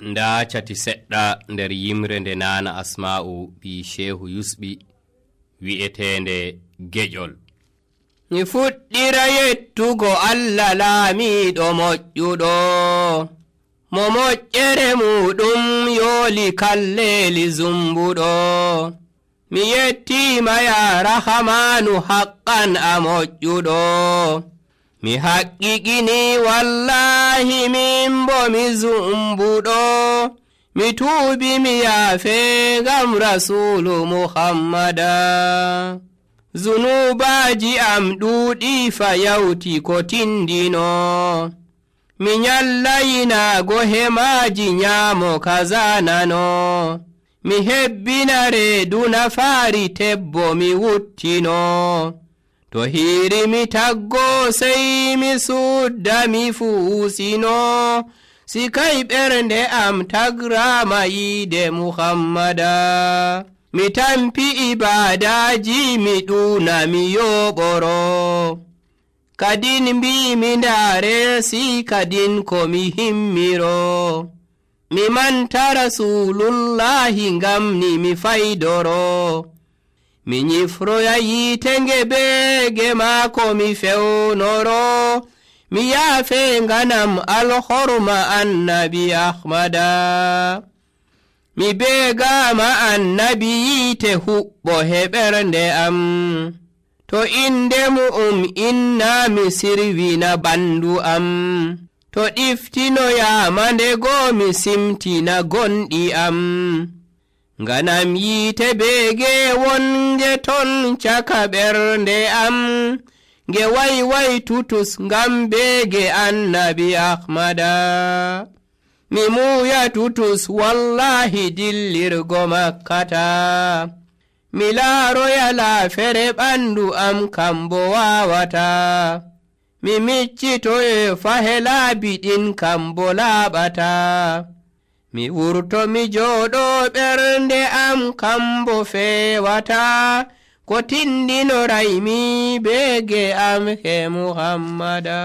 nda cati seɗɗa nder yimre nde nana Asma'u ɓi Shehu Yusɓi wi'etende geƴol. Mi fuɗɗira yettugo Allah laamiɗo moƴƴuɗo, mo moƴƴere muɗum yooli kalleeli zumbuɗo. Mi yettima ya rahamanu haqqan a moƴƴuɗo, mi haƙƙiƙini wallahi min bo mi zumbuɗo. Mi tuubi mi yaafe ngam rasulu Muhammada. Zunubaji am ɗuuɗi fa yawti ko tindino, mi nyallayinago hemaji nyaamo kazanano. Mi hebbina reedu nafaari tebbo mi wuttino, to hiiri mi taggo sey mi sudda mi fuusino. Sikay ɓernde am tagrama yiide Muhammada, mi tampi ibadaji mi ɗuna mi yoɓoro. Kadin mbimi ndaare si kadin ko mi himmiro, mi manta rasulullahi ngamni mi faydoro. Mi nyifroya yiite ngeɓeege maako mi fewnoro, mi yaafe nganam alhorma annabi Ahmada. Mi beegama annabi yiite huɓɓo heɓernde am, to inde mu'um inna mi sirwina ɓandu am. To ɗiftinoyama ndego mi simtina gonɗi am, nganam yiite beege wonge ton caka ɓernde am. Nge wayway tutus ngam beege annabi Ahmada. Mi muuya tutus wallahi dillirgo Makkata, mi laaroya laafere ɓandu am kambo waawata. Mi miccitoye fahe laabi ɗin kambo laaɓata, mi wurto mi jooɗo ɓernde am kambo feewata. Ko tindino raymi beege am he Muhammada.